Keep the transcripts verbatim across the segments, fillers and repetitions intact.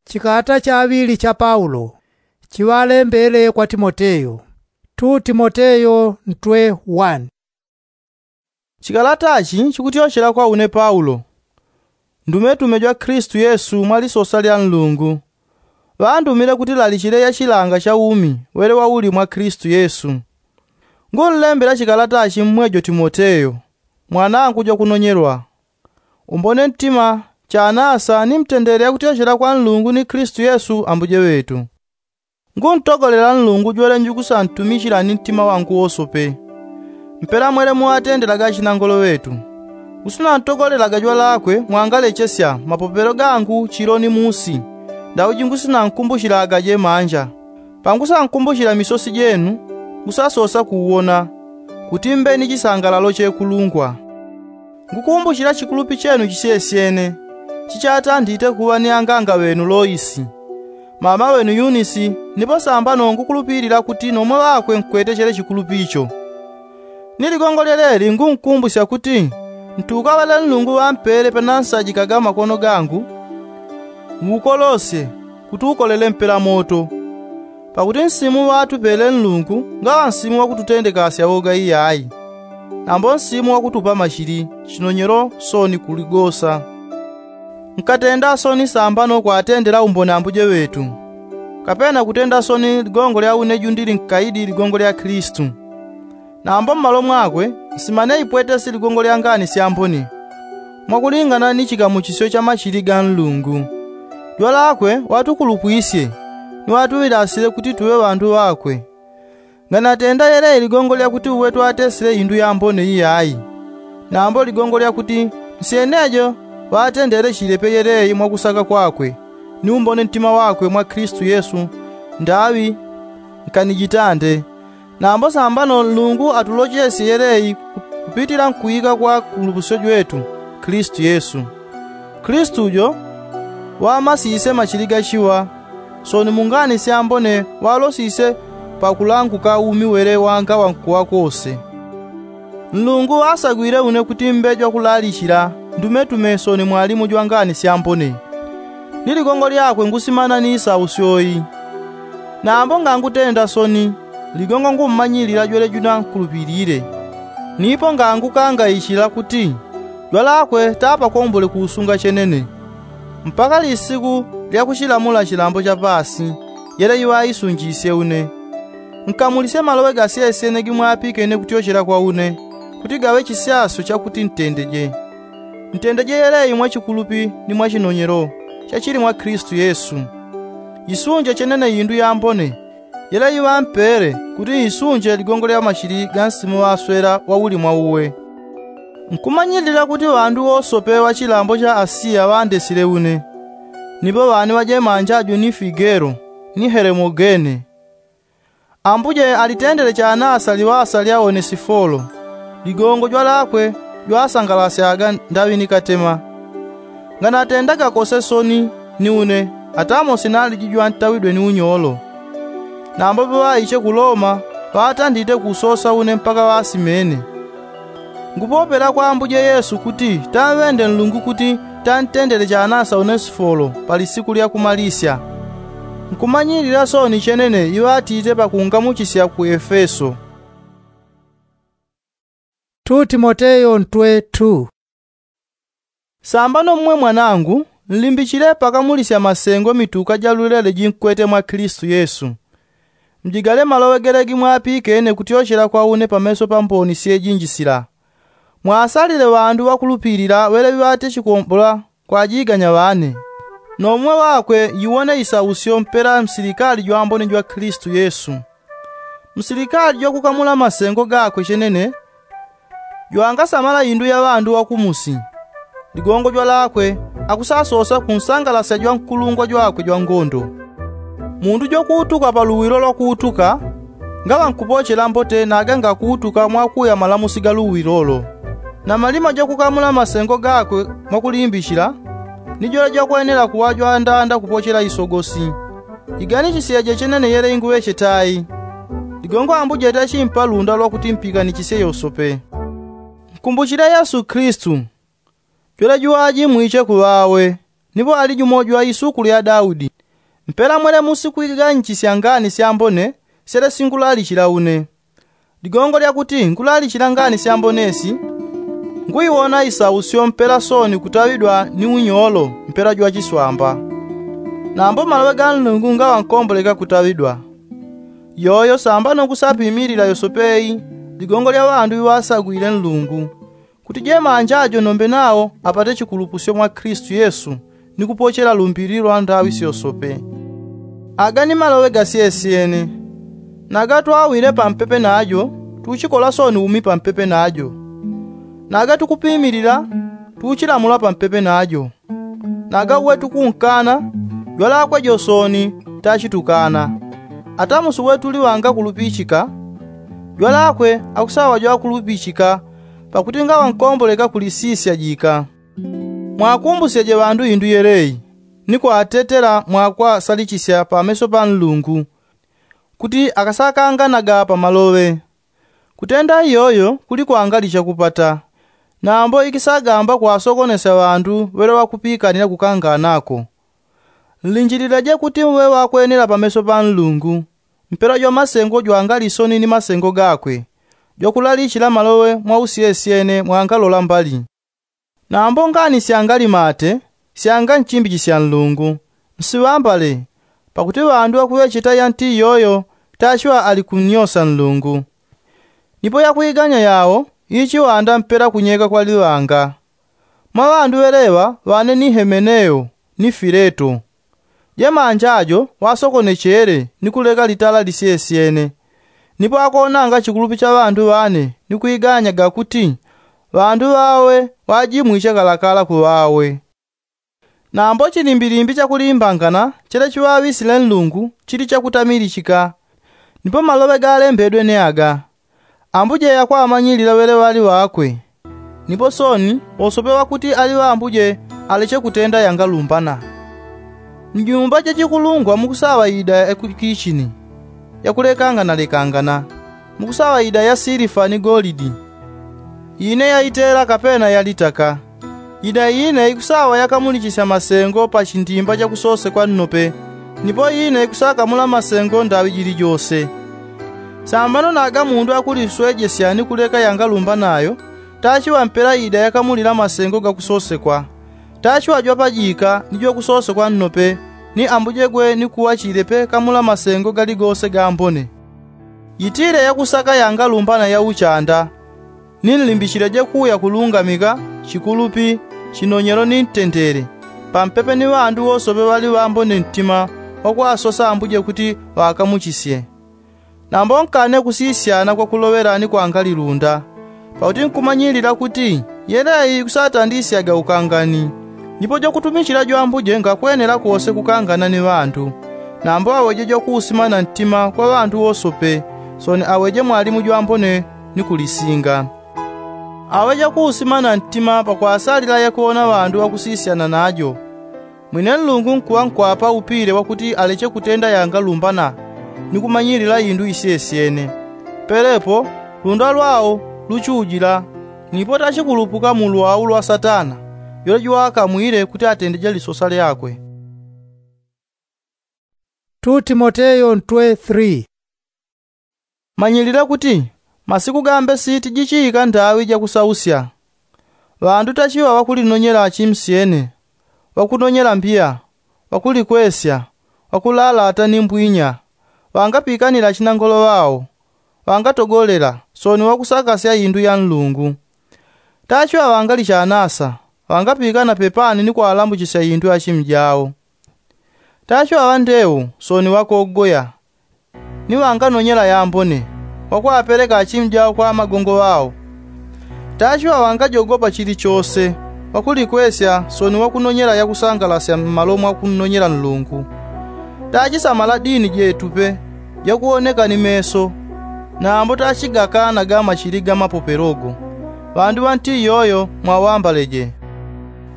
Chikalata chaŵili cha paulo chiŵalembele kwa timoteyo. Timoteyo ntwe wani. Chikalatachi chikutyochela kwa une paulo, ndumetume jwa klistu yesu mwa lisosa lya nlungu, ŵandumile kuti lalichile yachilanga cha umi wele wauli mwa klistu yesu. Ngunlembela chikalatachi mmwejo timoteyo, mwanangu jwakunonyelwa, umbone ntima, chanasa ni mtendele yakutyochela kwa nlungu ni klistu yesu ambuje ŵetu. Nguntogolela nlungu jwele njukusantumichila ni ntima wangu wosope. Mpela mwele muŵatendelaga achinangolo ŵetu, ngusinantogolelaga jwalakwe mwangalechesya mapopelo gangu chilo ni musi, ndauji ngusinankumbuchilaga jemanja. Pangusankumbuchila misosi jenu, ngusasosa kuwona, kuti mbe ni chisangalalo chekulungwa. Ngukumbuchila chikulupi chenu chisyesyene, chichatandite kuŵa ni anganga ŵenu loisi, mama ŵenu yunisi, nipo sambano ngukulupilila kuti nomwe ŵakwe nkwete chele chikulupi icho. Ni ligongo lyeleli ngunkumbusya kuti, ntukaŵele nlungu ŵampele panasajikaga makono gangu, wukolosye, kuti ukolele mpela moto. Pakuti nsimu ŵatupele nlungu ngaŵa nsimu wakututendekasya woga iyayi, nambo nsimu wakutupa machili, chinonyelo, soni kuligosa. Nkatenda soni sambano kwatendela umbone ambuje ŵetu, kapena kutenda soni ligongo lya une jundili nkaidi ligongo lya klistu. Nambo mmalo mwakwe, nsimane ipwetesi ligongo lya ngani syambone, mwakulingana ni chikamuchisyo cha machili ga nlungu. Jwalakwe watukulupwisye, ni watuŵilasile kuti tuŵe ŵandu ŵakwe. Nganatenda yelei ligongo lyakuti uwe twatesile indu yambone iyayi, nambo ligongo lyakuti, nsyenejo ŵatendele chilepe yelei mwakusaka kwakwe, ni umbone ntima wakwe mwa klistu yesu, ndaŵi nkanijitande. Nambo sambano nlungu atulochesye yelei kupitila nkuika kwa nkulupusyo jwetu, klistu yesu. Klistu jo, ŵamasise machili gachiŵa, soni mungani syambone ŵalosise pakulanguka umi wele wangaŵa nkuŵa kose. Nlungu ŵasagwile une kuti mbe jwakulalichila, ndumetume soni mwalimu jwangani syambone. Ni ligongo lyakwe ngusimana ni isausyo iyi. Nambo ngangutenda soni, ligongo ngummanyilila jwele juna nkulupilile. Nipo ngangukangaichila kuti, jwalakwe tapakombole kuusunga chenene, mpaka lisiku lyakuchilamula chilambo cha paasi, yele iŵaisunjisye une. Nkamulisye maloŵe gasyesyene gimwapikene kutyochela kwa une, kuti gaŵe chisyasyo chakuti ntendeje. Ntendeje yelei mwa chikulupi ni mwa chinonyelo, chachili mwa klistu yesu. Isunje chenene indu yambone, yele iŵampele kuti isunje ligongo lya machili ga nsimu ŵaswela wauli mwa uwe. Nkumanyilila kuti ŵandu wosope ŵa chilambo cha asiya ŵandesile une, nipo ŵane ŵajemanja aju ni figelo, ni helemogene. Ambuje alitendele chanasa liŵasa lya onesifolo, ligongo jwalakwe jwasangalasyaga ndaŵi ni katema. Nganatendaga kose soni, ni une atamo sinaliji jwantawidwe ni unyolo. Nambo paŵaiche ku loma, ŵatandite kusosa une mpaka ŵasimene. Ngupopela kwa ambuje yesu kuti tamŵende nlungu kuti tantendele chanasa onesifolo pa lisiku lya kumalisya. Nkumanyilila soni chenene iŵatite pakungamuchisya ku efeso. Sambano mmwe mwanangu, nlimbichile pakamulisya masengo mituka ja lulele jinkwete mwa klistu yesu. Mjigale maloŵe gele gimwapikene kutyochela kwa une pameso pa mboni syejinji sila. Mwasalile ŵandu ŵakulupilila ŵele ŵatechikombola kwajiganya ŵane. Nomwe ŵakwe yiwone isausyo mpela msilikali jwambone jwa klistu yesu. Msilikali jwakukamula masengo gakwe chenene, jwangasamala indu ya ŵandu ŵakumusi. Ligongo jwalakwe akusasosa kunsangalasya jwankulungwa jwakwe jwangondo. Mundu jwakuutuka pa luwilo lwakuutuka, ngaŵa nkupochela mbote naga ngakuutuka mwakuya malamusi ga luwilolo. Na malima jwakukamula masengo gakwe mwakulimbichila, ni jwele jwakwenela kuŵa jwandanda kupochela isogosi. Iganichiseje chenene yele inguŵeche tai. Ligongo ambuje tachimpa lunda lwakuti mpiganichisye yosope. Nkumbuchile yesu klistu, jwele juŵaji mwiche kuŵawe, nipo ali jumo jwa isuku lya daudi. Mpela mwele musi kuiganyichisia ngani syambone syele singulalichila une. Ligongo lyakuti ngulalichila ngani syambone si, nguiwona isausyo mpela soni kutaŵidwa ni unyolo mpela jwa chiswamba. Nambo maloŵe ga nlungu ngaŵa nkomboleka kutaŵidwa. Yoyo sambano kusapimilila yosope i ligongo lya ŵandu ŵiŵasagwile nlungu, kuti jemanja jo nombe nawo apate chikulupusyo mwa kristu yesu, ni kupochela lumbili lwa ndaŵi syosope. Aga ni maloŵe gasyesyene. Naga twawile pampepe najo, tuchikola soni umi pampepe najo. Naga tukupimilila, tuchilamula pampepe najo. Naga uwe tukunkana, jwalakwe jo soni tachitukana. Ata musi uwe tuliŵanga kulupichika, jwalakwe akusaŵa jwakulupichika, pakuti ngaŵa nkomboleka kulisisya jika. Mwakumbusyeje ŵandu indu yelei, ni kwatetela mwakwasalichisya pameso pa nlungu, kuti akasakanganaga pa maloŵe. Kutenda iyoyo kuli kwangalicha kupata. Nambo ikisagamba kwasokonesya ŵandu ŵele ŵakupikanila kukanganako. Nlinjilileje kuti muŵe ŵakwenela pameso pa nlungu, mpela jwa masengo jwangali soni ni masengo gakwe, jwakulalichila maloŵe mwausyesyene mwangalola mbali. Nambo ngani syangali mate, syanga nchimbichi sya nlungu, nsiŵambale, pakuti ŵandu ŵakuŵecheta yanti iyoyo tachiŵa ali kunnyosa nlungu. Nipo yakwiganya yawo ichiŵanda mpela kunyeka kwa liŵanga. Mwa ŵandu ŵeleŵa ŵane ni hemeneo, ni fileto. Jemanja jo ŵasokonechele ni kuleka litala lisyesyene. Nipo akonanga chikulupi cha ŵandu ŵane ni kwiganyaga kuti ŵandu ŵawe ŵajimwiche kalakala kuŵawe. Nambo chilimbilimbi chakulimbangana chele chiŵaŵisile nlungu chili chakutamilichika. Nipo maloŵe galembedwe ni aga. Ambuje yakwamanyilila ŵeleŵali ŵakwe. Nipo soni wosope ŵakuti ali ŵambuje aleche kutenda yangalumbana. Mnyumba jachikulungwa mukusaŵa ida yakukichini, yakulekanganalekangana. Mukusaŵa ida ya silifa ni golidi, ine yaitela kapena yalitaka. Ida ine ikusaŵa yakamulichisya masengo pa chindimba chakusosekwa nnope. Nipo ine ikusakamula masengo ndaŵi jilijose. Sambano naga mundu akuliswejesya ni kuleka yangalumbanayo, tachiŵa mpela ida yakamulila masengo gakusosekwa. Tachiŵa jwapajika ni jwakusosekwa nnope, ni ambuje gwe ni kuŵa chilepe kamula masengo galigose gambone. Yitile yakusaka yangalumbana ya uchanda. Ninlimbichileje kuya kulungamika, chikulupi, chinonyelo ni ntendele, pampepe ni ŵandu wosope ŵali ŵambone ntima, wakwasosa ambuje kuti ŵakamuchisye. Nambo nkane kusisyana kwakuloŵela ni kwangalilunda. Pakuti nkumanyilila kuti yeleyi ikusatandisyaga ukangani. Nipo jwakutumichila jwambuje ngakwenela kose kukangana ni ŵandu. Nambo aweje jwakuusimana ntima kwa ŵandu wosope, soni aweje mwalimu jwambone ni kulisinga. Aweje kuusimana ntima pakwasalila yakuwona ŵandu ŵakusisyana najo. Mwine nlungu nkuŵa nkwapa upile wakuti aleche kutenda yangalumbana, ni kumanyilila indu isyesyene. Pelepo lunda lwao luchujila. Nipo tachikulupuka mu lwau lwa satana, yole jwakamwile kuti atendeje lisosa lyakwe. Manyilile kuti masiku gambe siti jichiika ndaŵi jakusausya. Ŵandu tachiŵa ŵakulinonyela chimsyene, ŵakunonyela mbiya, ŵakulikwesya, ŵakulalata ni mbwinya, ŵangapikanila chinangolo ŵao, ŵangatogolela, soni ŵakusakasya indu ya nlungu. Tachiŵa ŵangali chanasa, ŵangapikana pepani ni kwalambuchisya indu ya chimi jao. Tachiŵa ŵandewu, soni ŵakogoya, ni ŵanganonyela yambone, ŵakwapeleka achimi jao kwa amagongo ŵao. Tachiŵa ŵangajogopa chilichose, ŵakulikwesya soni ŵakunonyela yakusangalasya mmalo mwakunonyela nlungu. Tachisamala dini jetupe, jakuwoneka ni meso. Nambo tachigakanaga machili ga mapopelogo. Ŵandu ŵanti iyoyo mwaŵambaleje.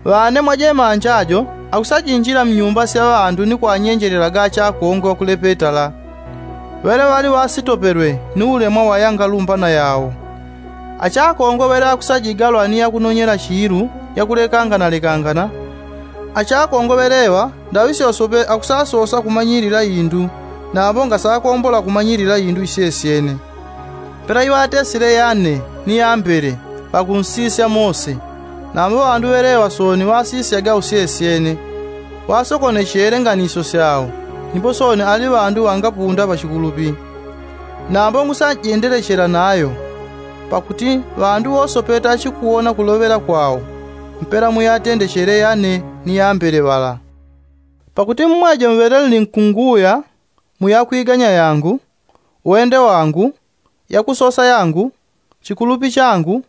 Ŵane mwajemanja jo akusajinjila mnyumba sya ŵandu ni kwanyenjelelaga achakongwe ŵakulepetala, ŵele ŵali ŵasitopelwe ni ulemwa wa yangalumbana yao. Achakongwe ŵele akusajigalwa ni yakunonyela chiilu yakulekanganalekangana. Achakongo ŵeleŵa ndaŵi syosope akusasosa kumanyilila indu, nambo ngasakombola kumanyilila indu isyesyene. Pela iŵatesile yane ni yambele pakunsisya mose. Nambo ŵandu ŵeleŵa sooni ŵasisyaga usyesyene, ŵasokonechele nganisyo syao, nipo sooni ali ŵandu ŵangapunda pachikulupi. Nambo ngusanjendelechela nayo, pakuti ŵandu wosope tachikuwona kuloŵela kwao mpela muyatendechele yane ni yambele ŵala. Pakuti mmwejo mŵele nlinkunguya mu yakwiganya yangu, wende wangu, yakusosa yangu, chikulupi changu,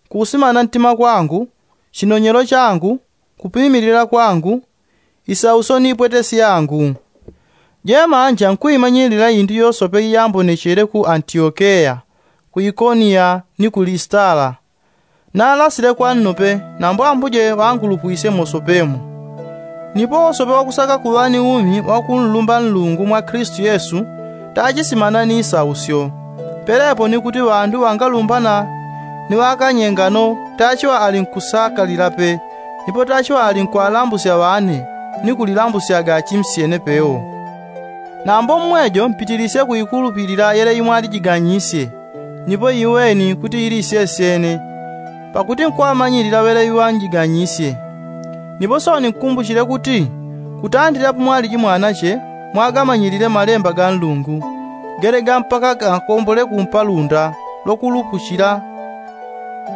kusimana ntima kwangu, chinonyelo changu, kupimilila kwangu, isausyo ni ipwetesi yangu. Jemanja nkuimanyilila indu yosope iyambonechele ku antiokeya, ku ikoniya, ni ku listala. Nalasile kwa nnope, nambo ambuje ŵangulupwisye mosopemo. Nipo wosope wakusaka kuŵa ni umi wakunlumba nlungu mwa klistu yesu, tachisimana ni isausyo. Pelepo ni kuti ŵandu ŵangalumbana ni ŵakanyengano tachiŵa ali nkusakalila pe, nipo tachiŵa ali nkwalambusya ŵane, ni kulilambusyaga achimsyene pewo. Nambo mmwejo mpitilisye kuikulupilila yele imwalijiganyisye, nipo iweni kuti ili isyesyene, pakuti nkwamanyilila ŵele iŵanjiganyisye. Nipo sooni nkumbuchile kuti kutandila pamwaliji mwanache mwagamanyilile malemba ga nlungu, gele ga mpaka gakombole kumpalunda lwakulupuchila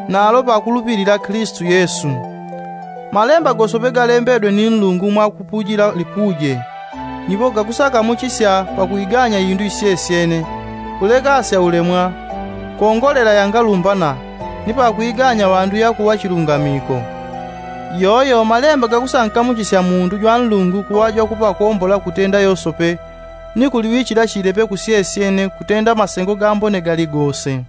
nalo pakulupilila klistu yesu. Malemba gosope galembedwe ni nlungu mwakupujila lipuje, nipo gakusakamuchisya pakuiganya indu isyesyene, kulekasya ulemwa, kongolela yangalumbana, ni pakuiganya ŵandu yakuŵa chilungamiko. Iyoyo malemba gakusankamuchisya mundu jwa nlungu kuŵa jwakupakombola kutenda yosope, ni kuliŵichila chilepe kusyesyene kutenda masengo gambone galigose.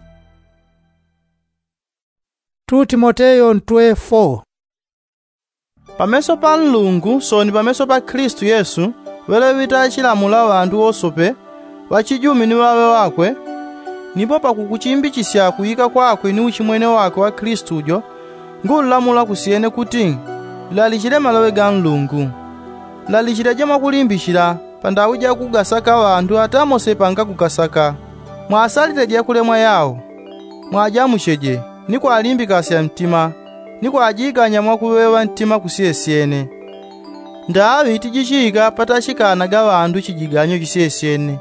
Pameso pa nlungu sooni pameso pa klistu yesu, ŵeleŵi tachilamula ŵandu wosope, ŵachijumi ni ŵaŵe ŵakwe. Nipo pakukuchimbichisya kuika kwakwe ni uchimwene wakwe wa klistu jo, ngunlamula kusyene kuti, lalichile maloŵe ga nlungu. Lalichileje mwakulimbichila pandaŵi jakugasaka ŵandu ata mose pangakugasaka. Mwasalile jakulemwa yao. Mwajamucheje, ni kwalimbikasya ntima, ni kwajiganya mwakuŵeŵa ntima kusyesyene. Ndaŵi tijichiika patachikanaga ŵandu chijiganyo chisyesyene.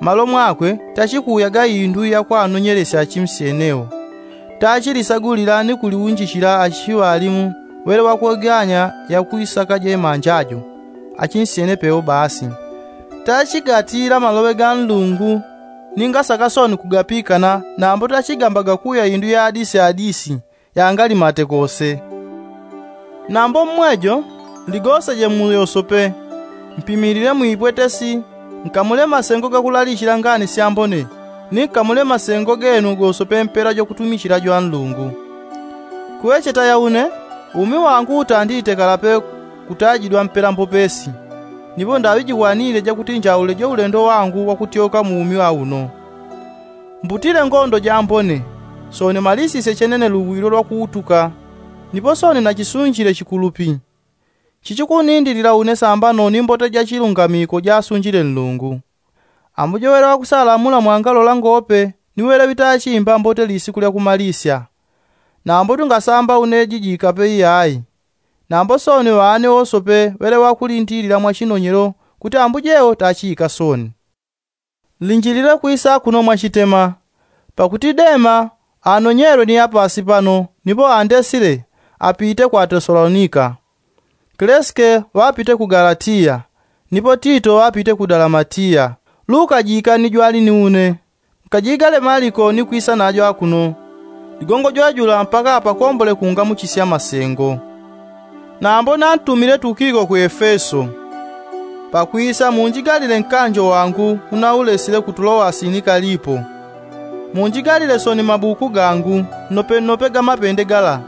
Malo mwakwe tachikuuyaga indu yakwanonyelesya achimsyenewo. Tachilisagulila ni kuliunjichila achiŵalimu ŵele ŵakweganya yakuisaka jemanja jo, achinsyene pewo basi. Tachigatila maloŵe ga nlungu, ni ngasaka sooni kugapikana nambo tachigambaga kuya indu ya adisi adisi, yangalimate kose. Nambo mmwejo, ligoseje mu yosope, mpimilile mu ipwetesi, nkamule masengo gakulalichila ngani syambone, ni nkamule masengo genu gosope mpela jwakutumichila jwa nlungu. Kuŵecheta ya une, umi wangu utandite kalape kutajidwa mpela mbopesi. Nipo ndaŵi jikwanile jakuti njaule jo ulendo wangu wakutyoka mu umi wa uno. Mbutile ngondo jambone, sooni malisisye chenene luwilo lwakuutuka. Nipo sooni nachisunjile chikulupi. Chichikunindilila une sambano ni mbote ja chilungamiko jasunjile nlungu. Ambujo ŵele ŵakusalamula mwangalola ngope, ni ŵele ŵitachimba mbote lisiku lya kumalisya. Nambo tungasamba une jijikape iyayi. Nambo sooni ŵane wosope ŵele ŵakulindilila mwa chinonyelo kuti ambujewo tachiika sooni. Nlinjilile kwisa kuno mwachitema, pakuti dema anonyelwe ni apasi pano nipo andesile, apite kwa tesalonika. Kleske ŵapite ku galatiya, nipo tito ŵapite ku dalamatiya. Luka jikani jwali ni une. Nkajigale maliko ni kwisa najo akuno. Ligongo jwajula mpaka apakombole kungamuchisya masengo. Nambo nantumile tukiko ku efeso. Pakwisa munjigalile nkanjo wangu unaulesile ku tulowasi ni kalipo. Munjigalile sooni mabuku gangu, nnope nnope ga mapende gala.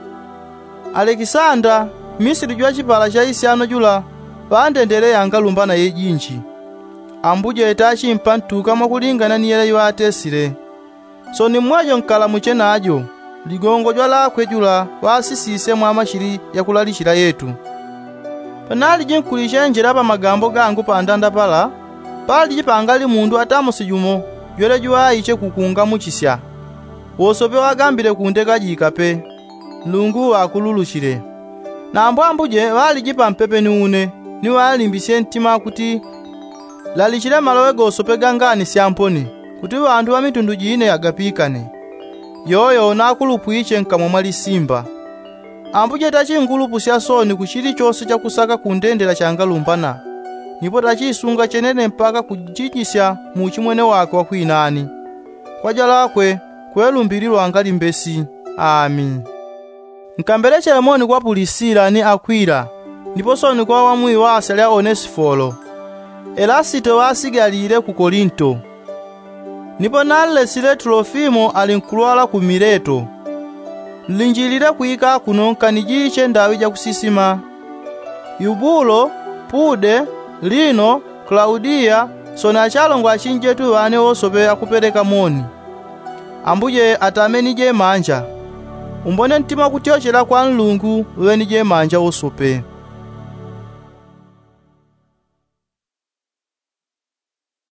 Alekisanda, mmisili jwa chipala cha isyano jula, ŵandendele yangalumbana yejinji. Ambuje tachimpa ntuka mwakulingana ni yele iŵatesile. Sooni mmwejo nkalamuche najo, ligongo jwalakwe jula ŵasisisye mwa machili yakulalichila yetu. Panaliji nkulichenjela pa magambo gangu pandanda pala, paliji pangali mundu atamuse jumo jwele jwaiche kukungamuchisya. Wosope wagambile kundeka jikape, nlungu wakululuchile. Nambo ambuje ŵaliji pampepe ni une, ni ŵalimbisye ntima kuti lalichile maloŵe gosope ga ngani sya mponi, kuti ŵandu ŵa mitundu jine agapikane. Yoyo nakulupwiche nkamwa mwa lisimba. Ambuje tachingulupusya sooni ku chilichose chakusaka kundendela changalumbana, nipo tachisunga chenene mpaka kujijisya muuchimwene wakwe wakwinani. Kwa jalakwe, kwe lumbili lwangali mbesi. Ami. Nkambelechele moni kwa pulisila ni akwila, nipo sooni kwa ŵamwiŵasya lya onesifolo. Elasito ŵasigalile ku kolinto. Nipo nanlesile tulofimo ali nkulwala ku mileto. Nlinjilile kwika kuno nkanijiche ndaŵi jakusisima. Yubulo, pude, lino, klaudiya, sooni achalongo achinjetu ŵane wosope akupeleka moni. Ambuje atamenije manja. Umbone ntima wakutyochela kwa nlungu uŵenije manja wosope.